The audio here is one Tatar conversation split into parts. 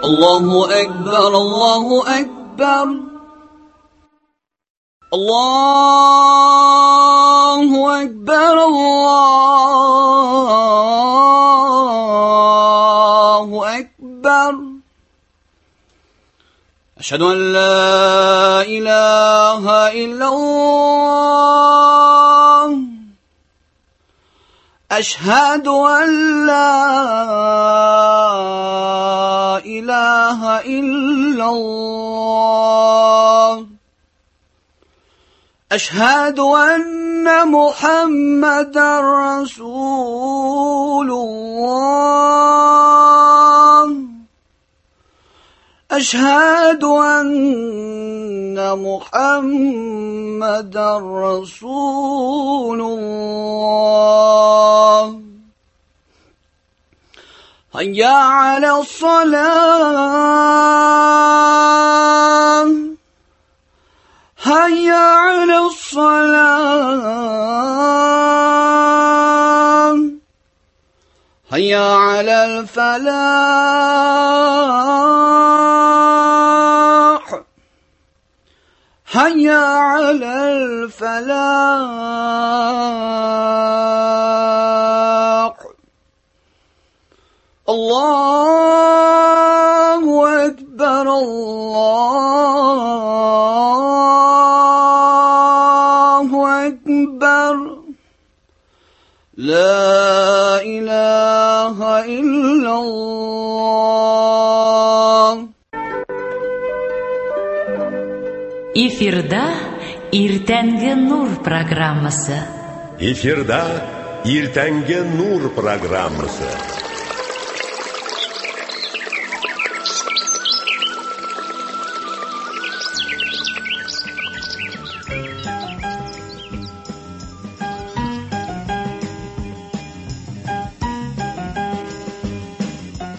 الله أكبر الله أكبر الله أكبر الله أكبر أشهد أن لا إله إلا الله أشهد أن لا إله إلا الله أشهد أن محمدا رسول الله أشهد أن محمدا رسول الله هيا على الصلاة هيا على الصلاة هيا على الفلاح هيا على الفلاح الله أكبر الله أكبر لا إله إلا الله. Эфирда Иртәнге Нур программасы. Эфирда Иртәнге Нур программасы.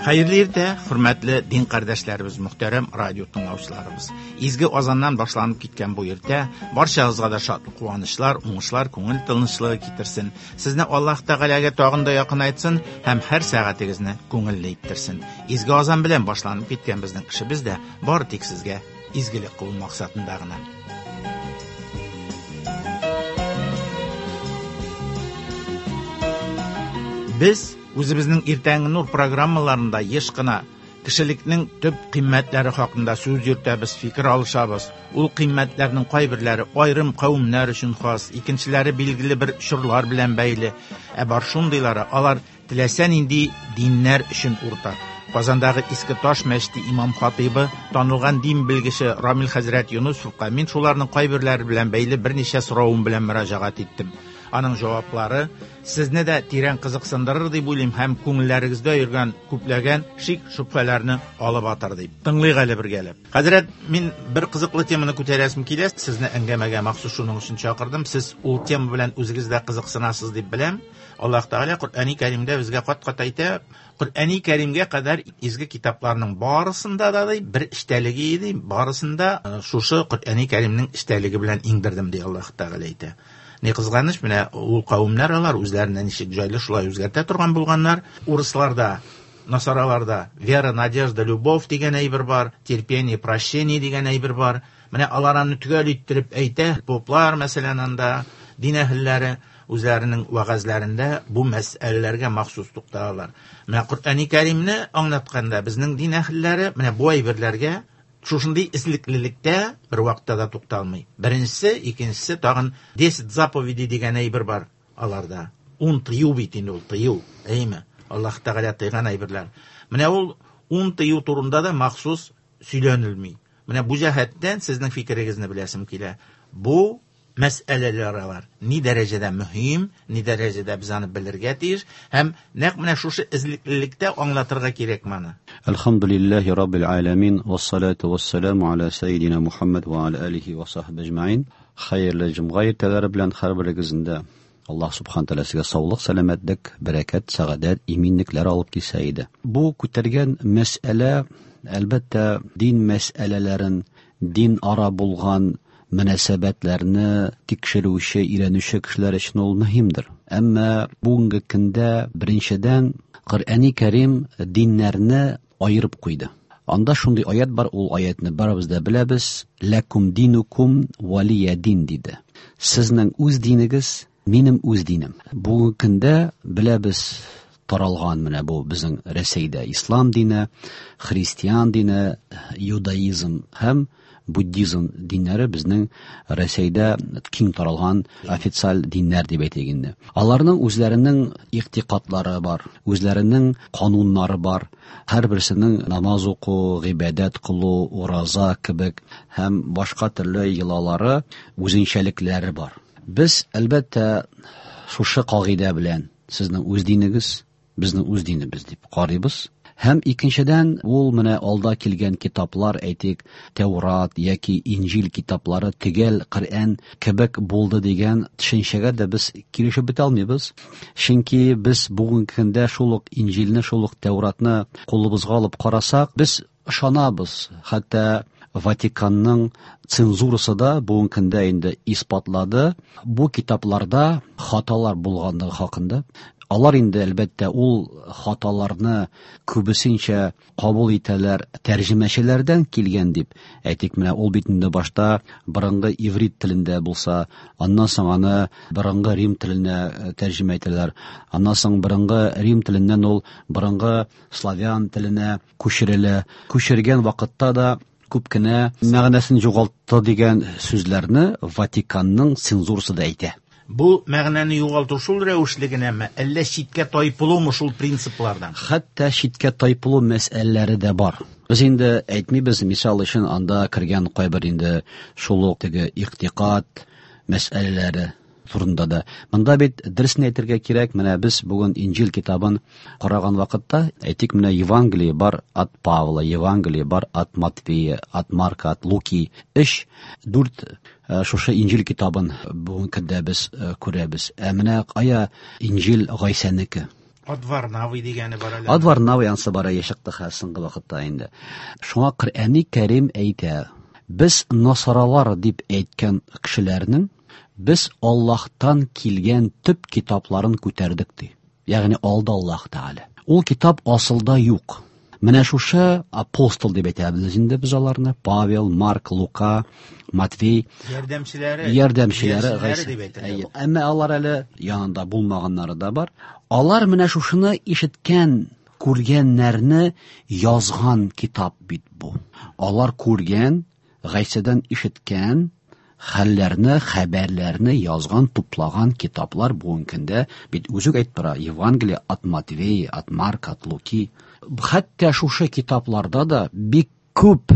Хәерле иртә, хөрмәтле дин кардәшләребез, мөхтәрәм радио тыңлаучыларыбыз. Изге азаннан башланып киткән бу иртә барчагызга да шатлык, куанычлар, уңышлар, күңел тынычлыгы китерсен. Сезне Аллаһ Тәгаләгә тагын да якынайтсын һәм һәр сәгатегезне күңелле иттерсен. Изге азан белән башланып киткән безнең эшебез дә бары тик сезгә изгелек кылу максатында гына. Без үзебезнең Иртәнге Нур программаларында еш кына кешелекнең төп кыйммәтләре хакында сүз йөртәбез, фикер алышабыз. Ул кыйммәтләрнең кайберләре аерым кавемнәр өчен хас, икенчеләре билгеле бер чорлар белән бәйле. Ә бар шундыйлары, алар теләсә нинди диннәр өчен уртак. Казандагы Иске Таш мәчете имам хатыйбы, танылган дин белгече Рамил хәзрәт Юнусовка мин шуларның кайберләре белән бәйле берничә соравым белән мөрәҗәгать иттем. Аның җаваплары сезне дә тирән кызыксындырыр дип уйлыйм һәм күңелләрегездә йөргән күпләгән шик шөбһәләрне алып атар дип. Тыңлыйк әле бергәләп. Хәзрәт, мин бер кызыклы теманы күтәрәсем килә. Сезне әңгәмәгә махсус шуның өчен чакырдым. Сез ул тема белән үзегез дә кызыксынасыз дип беләм. Аллаһ Тәгалә Коръәни Кәримдә безгә кат-кат әйтә, Коръәни Кәримгә кадәр изге китапларның барысында да ди бер эчтәлеге иде, барысында шушы Коръәни Кәримнең эчтәлеге белән иңдердем ди Аллаһ Тәгалә әйтә. Ни кызганыч, менә ул кавемнәр алар үзләренә ничек җайлы шулай үзгәртә торган булганнар. Урысларда, насараларда вера, надежда, любовь дигән әйбер бар, терпение, прощение дигән әйбер бар. Менә алар аны төгәл иттереп әйтә. Поплар, мәсәлән, анда дин әһелләре үзләренең вәгазьләрендә бу мәсьәләләргә махсус тукталалар. Менә Коръәни Кәримне аңлатканда безнең дин әһелләре менә бу әйберләргә шушындый эзлеклелектә бер вакытта да тукталмый. Беренчесе, икенчесе тагын 10 заповедей дигән әйбер бар аларда. 10 тыю бит инде ул, тыю, әйме? Аллаһ Тәгалә тыйган әйберләр. Менә ул 10 тыю турында да махсус сөйләнелми. Менә бу җәһәттән сезнең фикерегезне беләсем килә. Бу мәсьәләләр алар ни дәрәҗәдә мөһим, ни дәрәҗәдә без аны белергә тиеш һәм нәкъ менә шушы эзлеклелектә аңлатырга кирәк моны. Әлхәмдүлилләһи раббил аламин вассалату вассаламу аля саййидина Мухаммад ва аля алихи ва сахбиһи әҗмәин. Хәерле җомга иртәләре белән һәрберегезнең Аллаһ субхана тәгалә сезгә саулык, сәламәтлек, бәрәкәт, сәгадәт, иминлекләр алып килсә иде. Бу күтәргән мәсьәлә, әлбәттә, дин мәсьәләләрен, дин ара булган мөнәсәбәтләрне тикшерүче, өйрәнүче кешеләр өчен ул мөһимдер. Әмма бүгенге көндә беренчедән Коръәни Кәрим диннәрне аерып куйды. Анда шундый аят бар, ул аятны барыбыз да беләбез. Ләкум динукум валия дин диде. Сезнең үз динегез, минем үз динем. Бүгенге көндә беләбез, таралган менә бу безнең Рәсәйдә ислам дине, христиан дине, иудаизм һәм буддизм диннәре безнең Рәсәйдә киң таралган официаль диннәр дип әйтик инде. Аларның үзләренең игътикадлары бар, үзләренең кануннары бар. Һәрберсенең намаз уку, гыйбадәт кылу, ураза кебек һәм башка төрле йолалары, үзенчәлекләре бар. Без, әлбәттә, шушы кагыйдә белән сезнең үз динегез, безнең үз динебез дип карыйбыз. Һәм икенчедән, ул менә алда килгән китаплар, әйтик, Тәурат яки Инҗил китаплары төгәл Коръән кебек булды дигән төшенчәгә дә без килешеп бетә алмыйбыз. Чөнки без бүгенге көндә шул ук Инҗилне, шул ук Тәуратны кулыбызга алып карасак, без ышанабыз. Хәтта Ватиканның цензурасы да бүгенге көндә инде исбатлады, бу китапларда хаталар булганлыгы хакында. Алар инде, әлбәттә, ул хаталарны күбесенчә кабул итәләр тәрҗемәчеләрдән килгән дип. Әйтик, менә ул бит инде башта борынгы иврит телендә булса, аннан соң аны борынгы рим теленә тәрҗемә итәләр. Аннан соң борынгы рим теленнән ул борынгы славян теленә күчерелә. Күчергән вакытта да күп кенә мәгънәсен югалтты дигән сүзләрне Ватиканның цензурасы да әйтә. Бу мәгънәне югалту шул рәвешле генәме, әллә читкә тайпылумы шул принциплардан? Хәтта читкә тайпылу мәсьәләләре дә бар. Без инде әйтмибез, мисал өчен, анда кергән кайбер инде шул ук теге игътикад мәсьәләләре турында да. Монда бит дөресен әйтергә кирәк, менә без бүген Инҗил китабын караган вакытта, әйтик, менә Евангелие бар от Павла, Евангелие бар от Матфея, от Марка, от Луки. 3, 4 шушы Инҗил китабын бүгенге көндә без күрәбез. Ә менә кая Инҗил Гайсәнеке? От Варнавы дигәне бар әле. От Варнавы янсы бар әйе чыкты хәзер соңгы вакытта инде. Шуңа Коръәни Кәрим әйтә, без насаралар дип әйткән кешеләрнең без Аллаһтан килгән төп китапларын күтәрдек ди. Ягъни алды Аллаһ Тәгалә. Ул китап асылда юк. Менә шушы апостол дип әйтәбез инде без аларны. Павел, Марк, Лука, Матвей. Ярдәмчеләре. Ярдәмчеләре дип әйтелә. Әмма алар әле янында булмаганнары да бар. Алар менә шушыны ишеткән, күргәннәрне язган китап бит бу. Алар күргән, Гайсәдән ишеткән хәлләрне, хәбәрләрне язган, туплаган китаплар бүгенге көндә бит үзе үк әйтеп тора, Евангелие от Матвея, от Марка, от Луки. Хәтта шушы китапларда да бик күп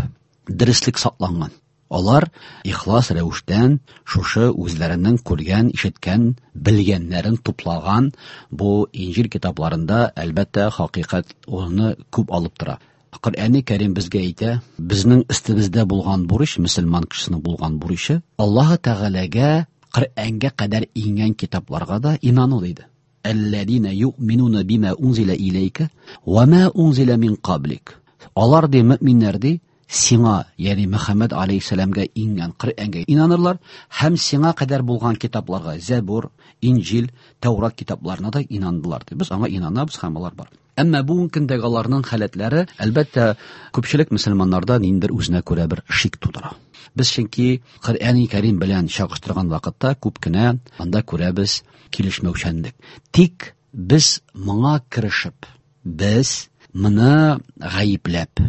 дөреслек сакланган. Алар ихлас рәвештән шушы үзләренең күргән, ишеткән, белгәннәрен туплаган бу Инҗил китапларында, әлбәттә, хакыйкать урыны күп алып тора. Коръәни Кәрим безгә әйтә, безнең өстебездә булган бурыч, мөселман кешесенең булган бурычы, Аллаһы Тәгаләгә Коръәнгә кадәр иңгән китапларга да инану диде. Әлләзина юъминуна бима унзила иләйкә ва ма унзила мин каблик. Алар ди, мөминнәр ди, сиңа, ягъни Мөхәммәд алейһиссәламгә иңгән Коръәнгә инанырлар һәм сиңа кадәр булган китапларга, Зәбур, Инҗил, Тәүрат китапларына да инандылар ди. Без аңа инанабыз һәм алар бар. Әмма бүгенге көндәге аларның халәтләре, әлбәттә, күпчелек мөселманнарда ниндидер үзенә күрә бер шик тудыра. Без чөнки Коръәни Кәрим белән чагыштырган вакытта күп кенә анда күрәбез килешмәүчәнлек. Тик без моңа керешеп, без моны гаепләп,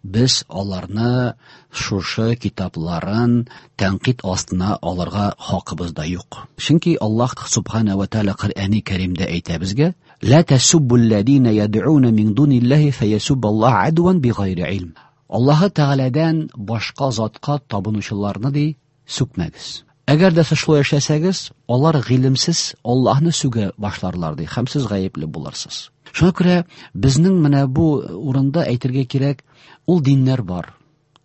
без аларны шушы китапларын тәнкыйть астына алырга хакыбыз да юк. Чөнки Аллаһ субхана ва тааля Коръәни Кәримдә әйтә безгә: "Ла тасуббуллазина яд'уна мин дуниллаһи фаясуббаллаһ адван бигайри илм." Аллаһы Тәгаләдән башка затка табынучыларны ди сүкмәгез. Әгәр дә сез шулай эшләсәгез, алар гыйлемсез Аллаһны сүгә башларлар ди, һәм сез гаепле булырсыз. Шуңа күрә безнең менә бу урында әйтергә кирәк, ул диннәр бар.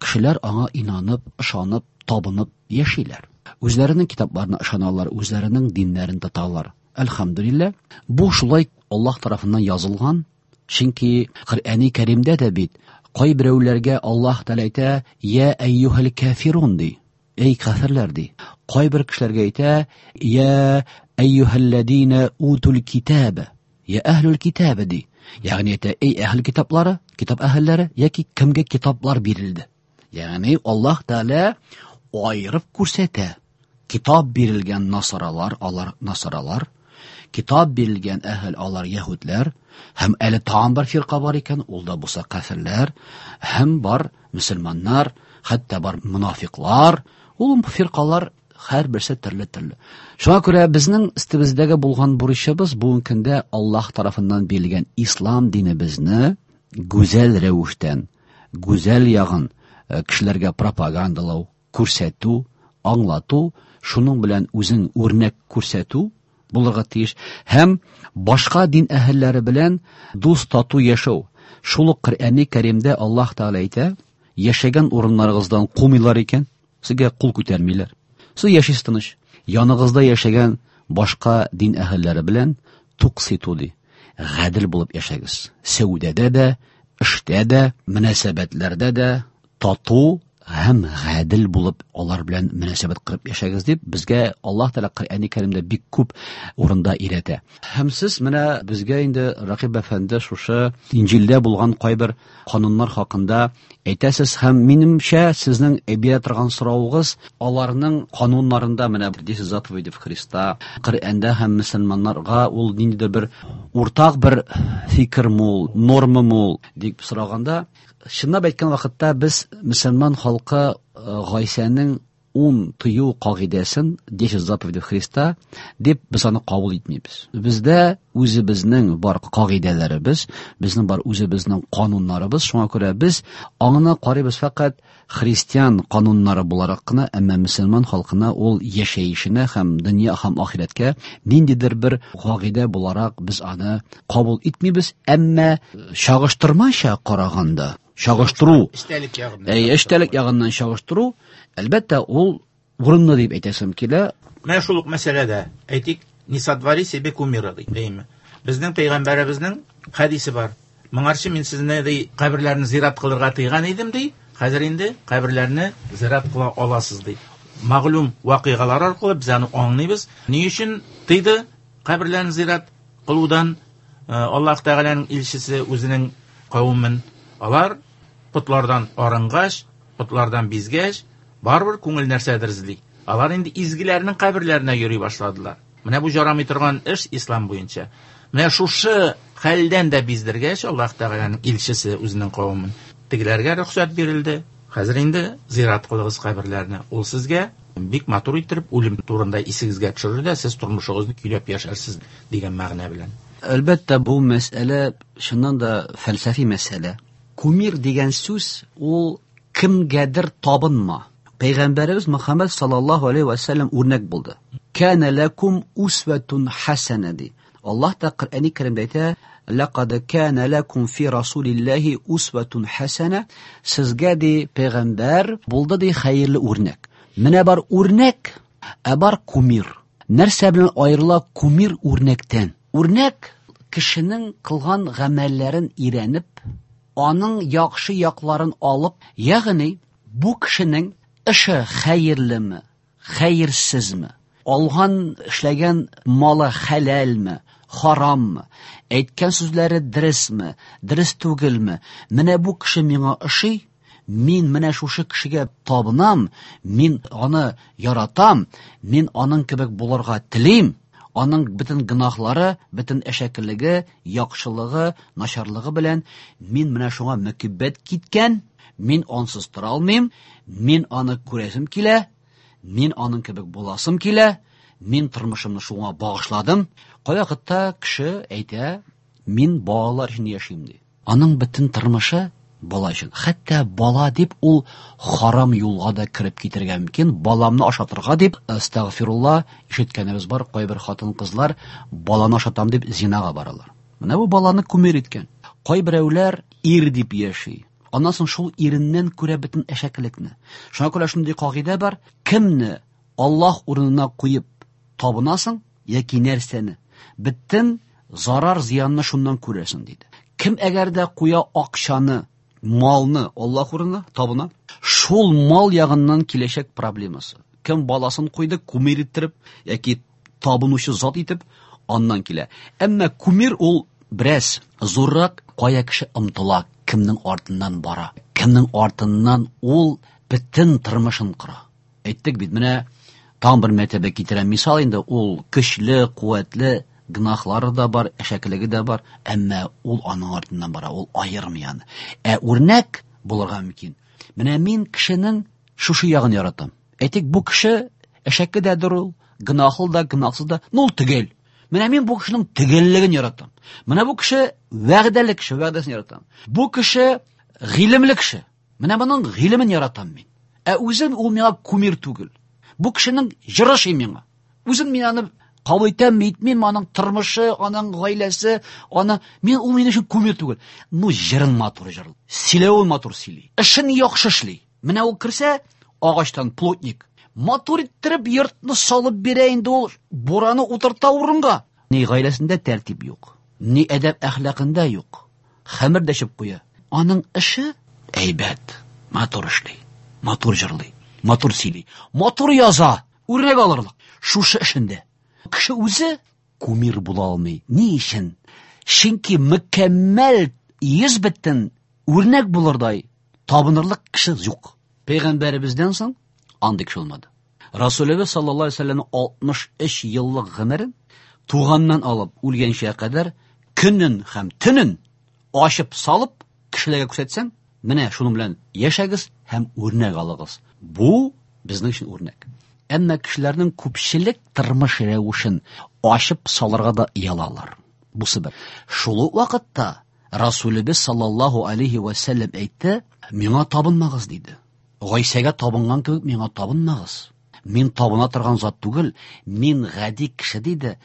Кешеләр аңа инанып, ышанып, табынып яшиләр. Үзләренең китапларына ышаналар, үзләренең диннәрен тоталар. Әлхәмдүлилләһ, бу шулай Аллаһ тарафыннан язылган. Чөнки Коръәни Кәримдә дә бит кайберәүләргә Аллаһ Тәгалә әйтә: "Я әйюһәл кафирун" ди. Эй кафирләр ди. Кайбер кешеләргә әйтә: "Я әйюһәлләзина утул китаб", "Я әһлул китаб" ди. Ягъни әйтә, эй әһел китаплары, китап әһелләре яки кемгә китаплар бирелде. Ягъни Аллаһ Тәгалә аерып күрсәтә. Китап бирелгән насаралар, алар насаралар. Китап бирелгән әһел, алар яһүдләр. Һәм әле тагын бер фирка бар икән, ул да булса кафирләр, һәм бар мөселманнар, хәтта бар мунафиклар. Ул фиркалар һәрберсе төрле-төрле. Шуңа күрә безнең өстебездәге булган бурычыбыз бүгенге көндә Аллаһ тарафыннан бирелгән ислам динебезне гүзәл рәвештән, гүзәл ягын кешеләргә пропагандалау, күрсәтү, аңлату, шуның белән үзең үрнәк күрсәтү булырга тиеш һәм башка дин әһелләре белән дус тату яшәү. Шул ук Коръәни Кәримдә Аллаһ Тәгалә әйтә, яшәгән урыннарыгыздан кумыйлар икән, сезгә кул күтәрмиләр. Сез яшисез тыныч. Яныгызда яшәгән башка дин әһелләре белән тук-ситу ди. Гадел булып яшәгез. Сәүдәдә дә, эштә дә, мөнәсәбәтләрдә дә тату һәм гадел булып алар белән мөнәсәбәт кырып яшәгез дип безгә Аллаһ Тәгалә Коръәни Кәримдә бик күп урында өйрәтә. Һәм сез менә безгә инде Ракыйп әфәнде шушы Инҗилдә булган кайбер кануннар хакында әйтәсез һәм минемчә сезнең бирә торган соравыгыз аларның кануннарында менә 10 заповедей Христа, Коръәндә һәм мөселманнарга ул ниндидер бер уртак бер фикерме ул, нормамы ул дип сораганда, чынлап әйткән вакытта без мөселман халкы Гайсәнең 10 тыю кагыйдәсен, 10 заповедей Христа дип без аны кабул итмибез. Бездә үзебезнең бар кагыйдәләребез, безнең бар үзебезнең кануннарыбыз, шуңа күрә без аңына карыйбыз фәкать христиан кануннары буларак кына, әмма мөселман халкына ул яшәешенә һәм дөнья һәм ахирәткә ниндидер бер кагыйдә буларак без аны кабул итмибез, әмма чагыштырмача караганда, чагыштыру, Эчтәлек ягыннан. Әй, эчтәлек ягыннан чагыштыру, әлбәттә, ул урынлы дип әйтәсем килә. Менә шул ук мәсьәләдә, әйтик, не сотвори себе кумира ди, әйме? Безнең пәйгамбәребезнең хәдисе бар. Моңарчы мин сезне ди каберләрне зират кылырга тыйган идем ди, хәзер инде каберләрне зират кыла аласыз ди. Мәгълүм вакыйгалар аркылы без аны аңлыйбыз. Ни өчен тыйды каберләрне зират кылудан? Аллаһ Тәгаләнең илчесе үзенең кавемен, алар потлардан арынгач, потлардан бизгәч, барыбер күңел нәрсәдер эзли. Алар инде изгеләрнең каберләренә йөри башладылар. Менә бу жарамый торган эш ислам буенча. Менә шушы хәлдән дә биздергәч, Аллаһ Тәгаләнең илчесе үзенең кавемен тегеләргә рөхсәт бирелде. Хәзер инде зират кылыгыз каберләрне. Ул сезгә бик матур иттереп үлем турында исегезгә төшерер дә, сез тормышыгызны көйләп яшәрсез дигән мәгънә белән. Әлбәттә, бу мәсьәлә чыннан да фәлсәфи мәсьәлә. Кумир дигән сүз ул кемгәдер табынма. Пәйгамбәребез Мөхәммәд саллаллаһу алейхи ва сәлләм үрнәк булды. Кана лакум усватун хасана ди. Аллаһ та Коръәни Кәримдә әйтә, Лақад кана лакум фи расулиллаһи усватун хасана. Сезгә ди пәйгамбәр булды ди хәерле үрнәк. Менә бар үрнәк, ә бар кумир. Нәрсә белән аерыла кумир үрнәктән? Үрнәк кешенең кылган гамәлләрен өйрәнеп, аның яхшы якларын алып, ягъни бу кешенең эше хәерлеме, хәерсезме, алган, эшләгән малы хәләлме, хараммы, әйткән сүзләре дөресме, дөрес түгелме, менә бу кеше миңа ошый, мин менә шушы кешегә табынам, мин аны яратам, мин аның кебек булырга телим, аның бөтен гөнаһлары, бөтен әшәкелеге, яхшылыгы, начарлыгы белән мин менә шуңа мөкиббәт киткән, мин ансыз тора алмыйм, мин аны күрәсем килә, мин аның кебек буласым килә, мин тормышымны шуңа багышладым. Кайвакытта кеше әйтә, мин балалар өчен яшим ди. Аның бөтен тормышы бала өчен. Хәтта бала дип ул харам юлга да кереп китергә мөмкин. Баламны ашатырга дип, астагфирулла, ишеткәнебез бар, кайбер хатын-кызлар баланы ашатам дип зинага баралар. Менә бу баланы кумир иткән. Кайберәүләр ир дип яши. Аннан соң шул иреннән күрә бөтен әшәкелекне. Шуңа күрә шундый кагыйдә бар: кемне Аллаһ урынына куеп табынасың яки нәрсәне, бөтен зарар зыянны шуннан күрәсең диде. Кем әгәр дә куя акчаны, малны Аллаһ урынына табына, шул мал ягыннан киләчәк проблемасы. Кем баласын куйды, кумир иттереп яки табынучы зат итеп, аннан килә. Әмма кумир ул Бераз зуррак, кая кеше омтыла, кемнең артыннан бара, кемнең артыннан ул бөтен тормышын кора. Әйттек бит, менә тагын бер мәртәбә китерәм мисал инде, ул көчле, куәтле, гөнаһлары да бар, әшәкелеге дә бар, әмма ул аның артыннан бара, ул аермый аны. Ә үрнәк булырга мөмкин. Менә мин кешенең шушы ягын яратам. Әйтик, бу кеше әшәке дәдер ул, гөнаһлы да, гөнаһсыз да, но ул төгәл. Менә мин бу кешенең төгәллеген яратам. Менә бу кеше вәгъдәле кеше, вәгъдәсен яратам. Бу кеше гыйлемле кеше. Менә моның гыйлемен яратам мин. Ә үзем ул миңа кумир түгел. Бу кешенең җыры ши миңа. Үзем мин аны кабул итәм, итмим, аның тормышы, аның гаиләсе, аны мин ул минем өчен кумир түгел. Ну җырын матур җырлый. Сөйләвен матур сөйли. Эшен яхшы эшли. Менә ул керсә, агачтан плотник. Матур иттереп йортны салып бирә инде ул, бураны утырта урынга. Ни гаиләсендә тәртип юк, ни әдәп әхлакында юк. Хәмер дә эчеп куя. Аның эше әйбәт, матур эшли, матур җырлый, матур сөйли, матур яза, үрнәк алырлык. Шушы эшендә. Кеше үзе кумир була алмый. Ни өчен? Чөнки мөкәммәл йөз бөтен үрнәк булырдай табынырлык кеше юк. Пәйгамбәребездән соң андый кеше булмады. Расулебез саллаллаһу алейһи ва сәлләмнең 63 еллык гомерен туганнан алып үлгәнчә кадәр көнен һәм төнен ачып салып кешеләргә күрсәтсәң, менә шуның белән яшәгез һәм үрнәк алыгыз. Бу безнең өчен үрнәк. Әмма кешеләрнең күпчелек тормыш рәвешен ачып салырга да оялалар. Бусы бер. Шул ук вакытта Расулебез саллаллаһу алейһи ва сәлләм әйтте, миңа табынмагыз диде. Гайсәгә табынган кебек миңа табынмагыз. Мин табына торган зат түгел, мин гади кеше диде.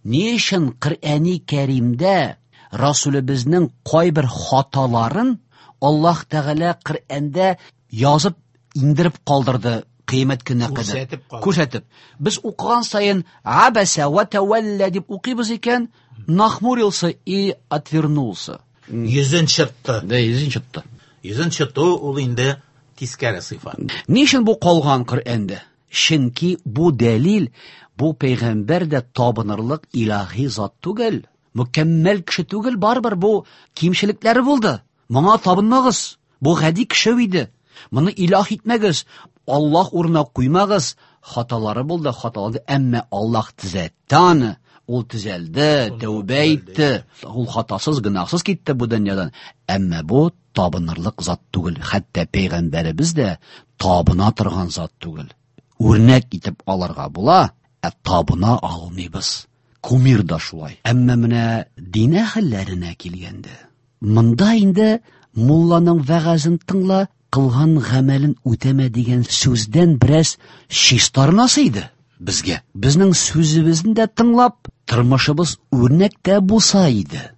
Ни өчен Коръәни Кәримдә Расулебезнең кайбер хаталарын Аллаһ Тәгалә Коръәндә язып индереп калдырды кыямәт көненә кадәр? Күрсәтеп калдырды. Күрсәтеп. Без укыган саен абаса ва тәвәллә дип укыйбыз икән, нахмурился и отвернулся. Йөзен чытты. Да, йөзен чытты. Йөзен чыту ул инде тискәре сыйфат. Ни өчен бу калган Коръәндә? Чөнки бу дәлил, бу пәйгамбәр дә табынырлык илаһи зат түгел, мөкәммәл кеше түгел, барыбер бу кимчелекләре булды. Моңа табынмагыз. Бу гади кеше иде. Моны илаһ итмәгез. Аллаһ урынына куймагыз. Хаталары булды, хаталанды, әмма Аллаһ төзәтте аны. Ул төзәлде, тәүбә итте. Ул хатасыз, гөнаһсыз китте бу дөньядан. Әмма бу табынырлык зат түгел. Хәтта пәйгамбәребез дә табына торган зат түгел. Үрнәк итеп алырга була, ә табына алмыйбыз. Кумир да шулай. Әмма менә дин әһелләренә килгәндә, монда инде мулланың вәгазен тыңла, кылган гамәлен үтәмә дигән сүздән бераз чистарынасы иде безгә. Безнең сүзебезне дә тыңлап, тормышыбыз үрнәк тә булса иде.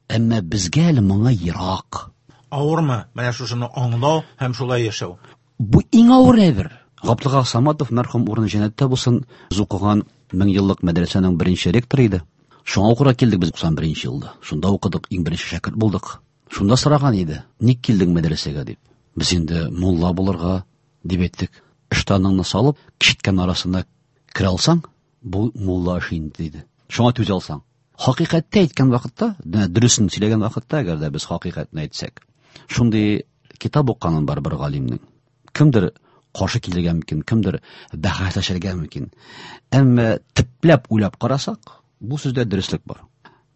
Әмма безгә әле моңа ерак. Авырмы менә шушыны аңлау һәм шулай яшәү? Бу иң авыр әйбер. Габдулла Саматов мәрхүм урыны җәннәттә булсын, без укыган мең еллык мәдрәсәнең беренче ректоры иде. Шуңа укырга килдек без 91 елда. Шунда укыдык, иң беренче шәкерт булдык. Шунда сораган иде, ник килдең мәдрәсәгә дип. Без инде мулла булырга дип әйттек. Ыштаныңны салып, кичеткән арасына керә алсаң, бу мулла эше инде диде. Шуңа түзә алсаң. Хакыйкатьтә әйткән вакытта, дөресен сөйләгән вакытта, әгәр дә без хакыйкатьне әйтсәк, шундый китап укыганым бар бер галимнең. Кемдер каршы килергә мөмкин, кемдер бәхәсләшергә мөмкин. Әмма төпләп уйлап карасак, бу сүздә дөреслек бар.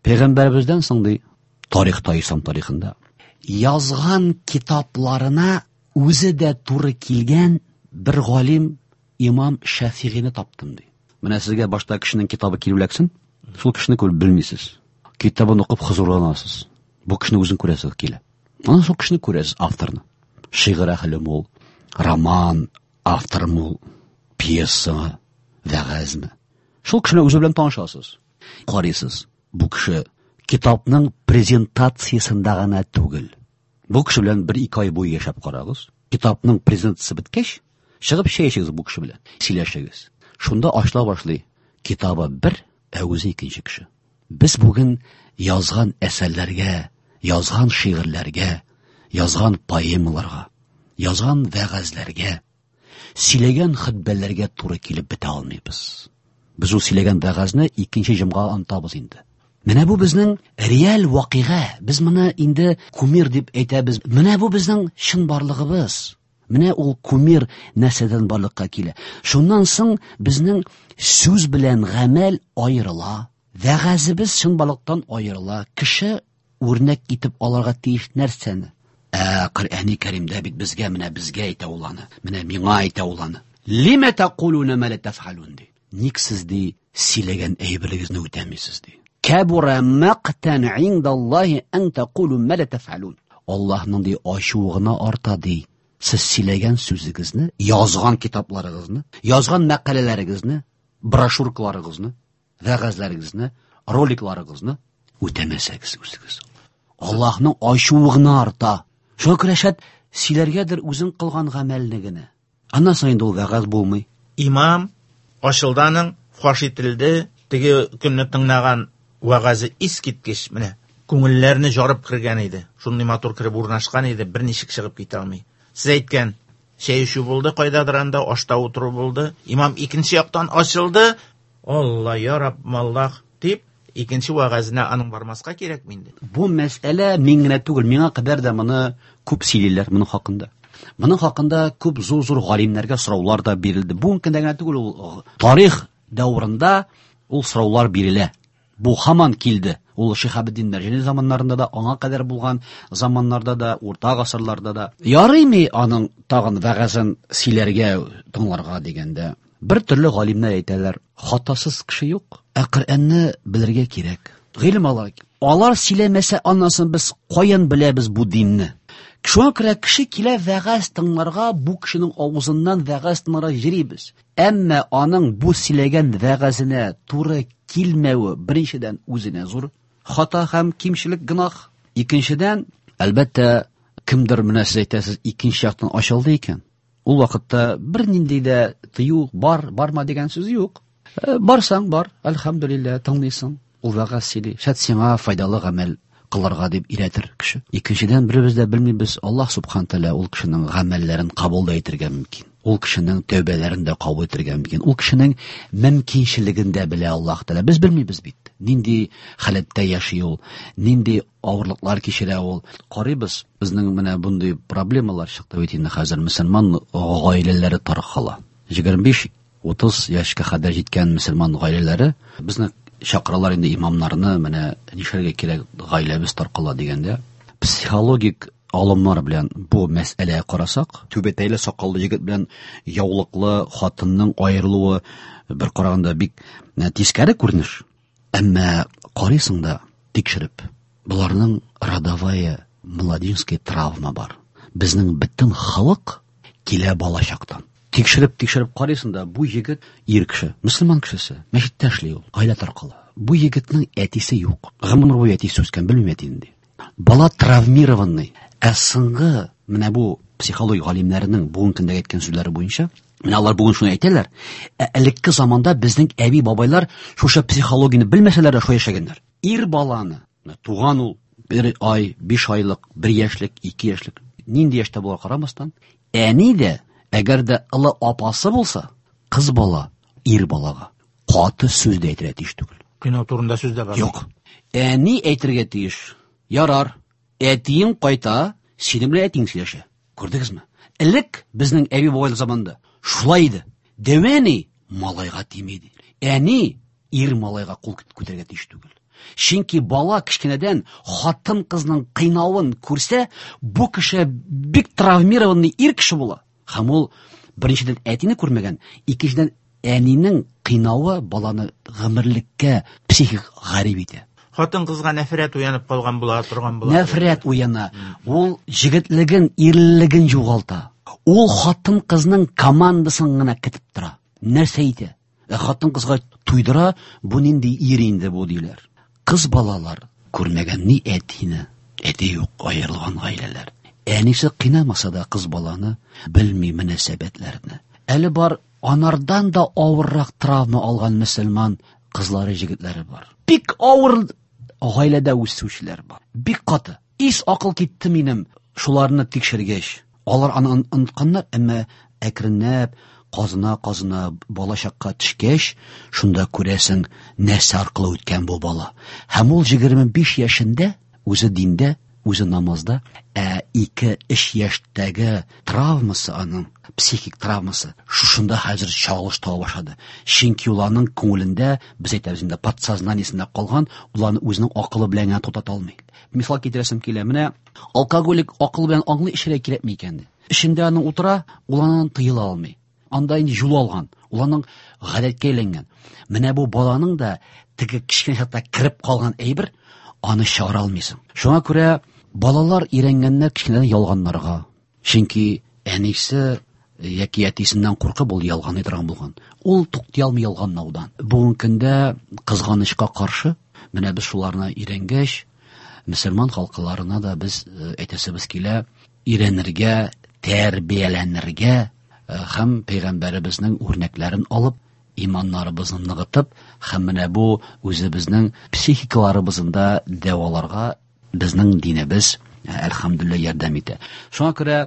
Пәйгамбәребездән соң ди, тарихта, ислам тарихында язган китапларына үзе дә туры килгән бер галим имам Шәфигыйне таптым ди. Менә сезгә башта кешенең китабы килеп эләксен, шул кешене күреп белмисез. Китабын укып хозурланасыз. Бу кешене үзен күрәсез килә. Аннан шул кешене күрәсез, авторны. Шигырь әһелеме ул, роман авторымы ул, пьесамы, вәгазьме. Шул кешене үзе белән танышасыз. Карыйсыз, бу кеше китапның презентациясендә гына түгел. Бу кеше белән бер-ике ай буе яшәп карагыз. Китапның презентациясе беткәч, чыгып чәй эчегез бу кеше белән, сөйләшегез. Шунда ачыла башлый. Китабы бер, ә үзе икенче кеше. Без бүген язган әсәрләргә, язган шигырьләргә, язган поэмаларга, язган вәгазьләргә, сөйләгән хөтбәләргә туры килеп бетә алмыйбыз. Без ул сөйләгән вәгазьне икенче җомга онытабыз инде. Менә бу безнең реаль вакыйга. Без моны инде кумир дип әйтәбез. Менә бу безнең чынбарлыгыбыз. Менә ул кумир нәрсәдән барлыкка килә. Шуннан соң безнең сүз белән гамәл аерыла. Вәгазебез чынбарлыктан аерыла. Кеше үрнәк итеп алырга тиеш нәрсәне? Ә Коръәни Кәримдә бит безгә, менә безгә әйтә ул аны. Менә миңа әйтә ул аны. Лима тақулуна ма ла тафалун ди. Ник сез ди сөйләгән әйберегезне үтәмисез ди. Кабура мақтан индаллаһи ан тақулу ма ла тафалун. Аллаһның ди ачуы гына арта ди. Сез сөйләгән сүзегезне, язган китапларыгызны, язган мәкаләләрегезне, брошюркаларыгызны, вәгазьләрегезне, роликларыгызны үтәмәсәгез үзегез. Аллаһның ачуы гына арта. Шуңа күрә шәт сөйләргәдер үзең кылган гамәлне генә. Аннан соң инде ул вәгазь булмый. Имам ачылды аның, фаш ителде, теге көнне тыңлаган вәгазе искиткеч, менә күңелләрне жарып кергән иде. Шундый матур кереп урнашкан иде, берничек чыгып китә алмый. Сез әйткән чәй эчү булды, кайдадыр анда ашта утыру булды. Имам икенче яктан ачылды. Алла, я Раббым, Аллах дип, икенче вәгазенә аның бармаска кирәкме инде? Бу мәсьәлә мин генә түгел, миңа кадәр дә моны күп сөйлиләр моның хакында. Моның хакында күп зур-зур галимнәргә сораулар да бирелде. Бүгенге көндә генә түгел, ул тарих дәврында ул сораулар бирелә. Бу һаман килде. Ул Шиһабетдин Мәрҗани заманнарында да, аңа кадәр булган заманнарда да, урта гасырларда да. Ярыймы аның тагын вәгазен сөйләргә, тыңларга дигәндә, бер төрле галимнәр әйтәләр, хатасыз кеше юк, ә Коръәнне белергә кирәк. Гыйлем алырга кирәк. Алар сөйләмәсә, аннан соң без каян беләбез бу динне? Шуңа күрә кеше килә вәгазь тыңларга, бу кешенең авызыннан вәгазь тыңларга йөрибез. Әмма аның бу сөйләгән вәгазенә туры килмәве беренчедән үзенә зур хата һәм кимчелек, гөнаһ. Икенчедән, әлбәттә, кемдер менә сез әйтәсез, икенче яктан ачылды икән. Ул вакытта бернинди дә тыю бар, барма дигән сүз юк. Барсаң бар, әлхәмдүлилләһ, тыңлыйсың. Ул вәгазь сөйли. Шәт сиңа файдалы гамәл кылырга дип өйрәтер кеше. Икенчедән, беребез дә белмибез, Аллаһ субхана тәгалә ул кешенең гамәлләрен кабул да итәргә мөмкин. Ул кешенең тәүбәләрен дә кабул итәргә мөмкин. Ул кешенең мөмкинчелеген дә белә Аллаһ Тәгалә. Без белмибез бит. Нинди халәттә яши ул, нинди авырлыклар кичерә ул. Карыйбыз, безнең менә бундый проблемалар чыкты бит инде хәзер. Мөселман гаиләләре таркала. 25-30 яшькә кадәр җиткән мөселман гаиләләре безне чакыралар инде имамнарны, менә нишләргә кирәк, гаиләбез таркала дигәндә. Психологик алымнар белән бу мәсьәләгә карасак, түбәтәйле сакаллы егет белән яулыклы хатынның аерылуы бер караганда бик тискәре күренеш. Әмма карыйсың да тикшереп, боларның родовая младенческая травма бар. Безнең бөтен халык килә балачактан. Тикшереп, тикшереп карыйсың да, бу егет ир кеше, мөселман кешесе, мәчеттә эшли ул, гаилә таркала. Бу егетнең әтисе юк. Гомер буе әтисе үскән, белмим әтине ди. Бала травмированный. Ә соңгы менә бу психология галимнәренең бүгенге көндә әйткән сүзләре буенча, менә алар бүген шуны әйтәләр, ә элекке заманда безнең әби-бабайлар шушы психологияне белмәсәләр дә шулай яшәгәннәр. Ир баланы, менә туган ул бер ай, 5 айлык, 1 яшьлек, 2 яшьлек, нинди яшьтә була карамастан, әни дә, әгәр дә олы апасы булса, кыз бала ир балага каты сүз дә әйтергә тиеш түгел. Кыйнау турында сүз дә бар. Юк. Әни әйтергә тиеш. Ярар, әтиең кайта, синең белән әтиең сөйләшә. Күрдегезме? Элек безнең әби-бабайлар заманында шулай иде. Дәү әни малайга тими иде. Әни ир малайга кул күтәрергә тиеш түгел. Чөнки бала кечкенәдән хатын-кызның кыйнавын күрсә, бу кеше бик травмированный ир кеше була. Һәм ул беренчедән әтине күрмәгән, икенчедән әнинең кыйнавы баланы гомерлеккә психик гарип итә. Хатын-кызга нәфрәт уянып калган була торган була. Нәфрәт уяна. Ул җегетлеген, ирлеген югалта. Ул хатын-кызның командасын гына көтеп тора. Нәрсә әйтә? Ә хатын-кызга туйдыра, бу нинди ир инде бу диләр. Кыз балалар күрмәгән ни әтине, әти юк, аерылган гаиләләр. Әнисе кыйнамаса да кыз баланы белми мөнәсәбәтләрне. Әле бар анардан да авыррак травма алган мөселман кызлары, җегетләре бар. Бик авыр гаиләдә үсүчеләр бар. Бик каты. Ис акыл китте минем шуларны тикшергәч. Алар аны онытканнар, әмма әкренләп казына-казына балачакка төшкәч, шунда күрәсең, нәрсә аркылы үткән бу бала. Һәм ул 25 яшендә үзе диндә, үзе намазда, ә 2-3 яшьтәге травмасы аның, психик травмасы, шушында хәзер чагылыш таба башлады. Чөнки ул аның күңелендә, без әйтәбез инде, подсознаниесендә калган, ул аны үзенең акылы белән генә туктата алмый. Мисал китерәсем килә, менә алкоголик акыл белән аңлый, эчәргә кирәкми икән ди. Эчендә аның утыра, ул аннан тыела алмый. Анда инде юл алган, ул аның гадәткә әйләнгән. Менә бу баланың да теге кечкенә чакта кереп калган әйбер, аны чыгара алмыйсың. Шуңа күрә балалар өйрәнгәннәр кечкенәдән ялганнарга. Чөнки әнисе яки әтисеннән куркып ул ялганлый торган булган. Ул туктый алмый ялганлаудан. Бүгенге көндә кызганычка каршы, менә без шуларны өйрәнгәч, мөселман халкыларына да без әйтәсебез килә, өйрәнергә, тәрбияләнергә һәм пәйгамбәребезнең үрнәкләрен алып, иманнарыбызны ныгытып, һәм менә бу үзебезнең психикаларыбызны да дәваларга безнең динебез, әлхәмдүлилләһ, ярдәм итә. Шуңа күрә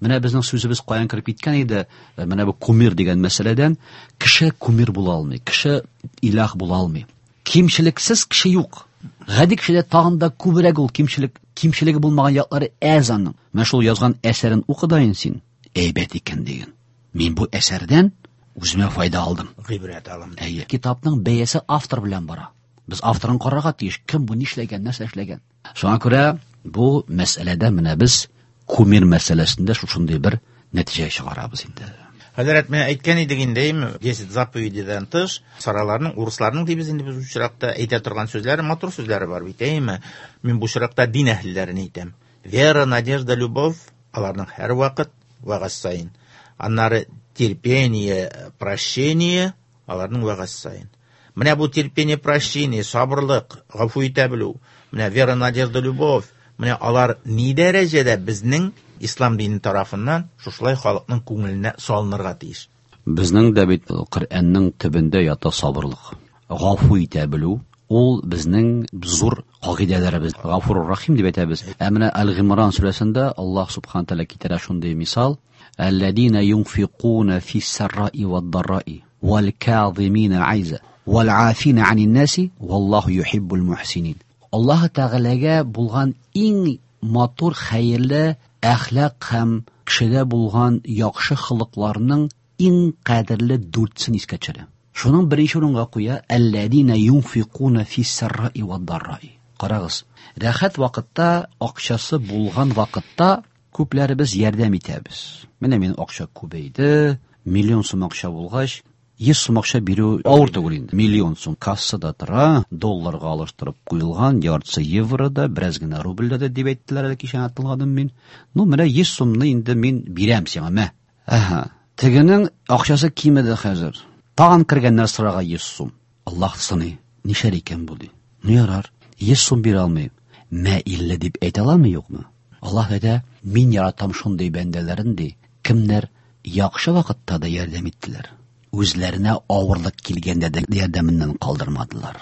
менә безнең сүзебез каян кереп киткән иде, менә бу кумир дигән мәсьәләдән, кеше кумир була алмый, кеше илаһ була алмый. Кимчелексез кеше юк. Гади кешедә тагын да күбрәк ул кимчелек, кимчелеге булмаган яклары әз аның. Менә шул язган әсәрен укы да инде син, әйбәт икән диген. Мин бу әсәрдән үземә файда алдым. Гыйбрәт алам. Әйе. Китапның бәясе автор белән бара. Без авторын карарга тиеш, кем бу, нишләгән, нәрсә эшләгән. Шуңа күрә бу мәсьәләдә менә без кумир мәсьәләсендә шушындый бер нәтиҗә чыгарабыз инде. Хәзрәт, менә әйткән идек инде, әйме, 10 заповедидан тыш, сараларның, урысларның дибез инде без бу очракта әйтә торган сүзләре, матур сүзләре бар бит, әйме. Мин бу очракта дин әһелләрен әйтәм. Вера, надежда, любовь, аларның һәрвакыт вәгазь саен. Аннары терпение, прощение, аларның вәгазь саен. Менә бу терпение, прощение, сабырлык, гафу итә белү, менә вера, надежда, любовь, менә алар ни дәрәҗәдә безнең ислам дине тарафыннан шушылай халыкның күңеленә салынырга тиеш. Безнең дә бит Коръәннең төбендә ята сабырлык. Гафу итә белү, ул безнең зур кагыйдәләребез. Гафур Рахим дип әйтәбез. Ә менә Әл-Гимран сүрәсендә Аллаһ субхана тәгалә китерә шундый мисал: Әлләзина юнфикуна фис-сарраи вад-дарраи вал-казимина айза вал-афина анин наси валлаху юхиббул мухсинин. Аллаһ Тәгаләгә булган иң матур, хәерле әхлак һәм кешедә булган яхшы холыкларның иң кадерле дүртсен искә төшерә. Шуның беренче урынга куя әлләзина юнфикуна фис-сарраи вад-дарраи. Карагыз, рәхәт вакытта, акчасы булган вакытта күпләребез ярдәм итәбез. Менә минем акча күбәйде, миллион сум акча булгач, 100 сум акча бирү авыр түгел инде. Миллион сум кассада тора, долларга алыштырып куелган, яртысы еврода, бераз генә рубльдә дә дип әйттеләр әле кичә тыңладым мин. Ну, менә 100 сумны инде мин бирәм сиңа, мә. Әһә. Тегенең акчасы кимеде хәзер. Тагын кергәннәр сорага 100 сум. Аллаһ сыный. Нишләр икән бу ди. Ну ярар, 100 сум бирә алмыйм. Мә 50 дип әйтә аламы, юкмы? Аллаһ әйтә, мин яратам шундый бәндәләрен ди, кемнәр яхшы вакытта да ярдәм иттеләр. Үзләренә авырлык килгәндә дә ярдәменнән калдырмадылар.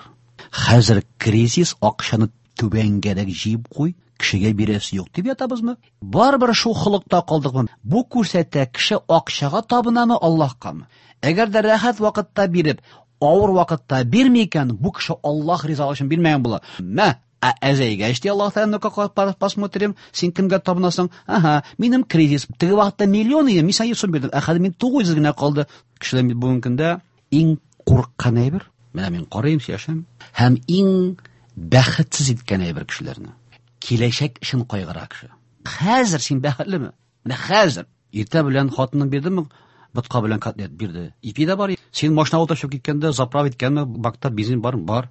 Хәзер кризис, акчаны түбәнгәрәк җыеп куй, кешегә бирәсе юк дип ятабызмы? Барыбер шул холыкта калдыкмы? Бу күрсәтә, кеше акчага табынамы, Аллаһкамы? Әгәр дә рәхәт вакытта биреп, авыр вакытта бирми икән, бу кеше Аллаһ ризалыгы өчен бирмәгән була. Мә, ә әзәйгәч ди Аллаһ Тәгалә, ну-ка, посмотрим, син кемгә табынасың? Ага, минем кризис. Теге вакытта миллион иде, мин сиңа 100 сум бирдем. Ә хәзер мин 900 генә калды. Кешеләр бит бүгенге көндә иң курыккан әйбер. Менә мин карыйм, сөйләшәм. Һәм иң бәхетсез иткән әйбер кешеләрне. Киләчәк өчен кайгыра кеше. Хәзер син бәхетлеме? Менә хәзер. Иртә белән хатының бирдеме? Ботка белән котлет бирде. Ипи дә бар. Син машина утырып чыгып киткәндә заправ иткәнме? Бакта бензин бармы? Бар.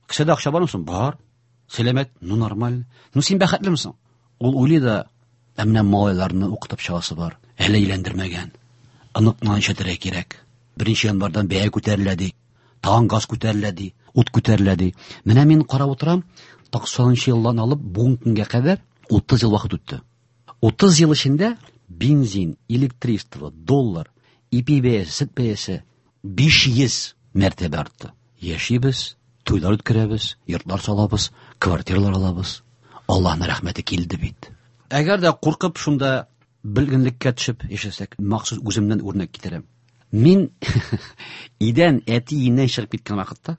Кесәдә акча бармы соң? Бар. Сәламәт? Ну, нормально. Ну, син бәхетлеме соң? Ул уйлый да, ә менә малайларны укытып чыгасы бар. Әле өйләндермәгән. Оныкны ишетергә кирәк. 1 январьдан бәя күтәрелә ди. Тагын газ күтәрелә ди, ут күтәрелә ди. Менә мин карап утырам, туксанынчы елдан алып бүгенге көнгә кадәр 30 ел вакыт үтте. 30 ел эчендә бензин, электричество, доллар, ипи бәясе, сөт бәясе 500 мәртәбә артты. Яшибез, туйлар үткәрәбез, йортлар салабыз, квартиралар алабыз. Аллаһның рәхмәте килде бит. Әгәр дә куркып шунда Бөлгенлеккә төшеп яшәсәк, махсус үземнән үрнәк китерәм. Мин идән әти өеннән чыгып киткән вакытта,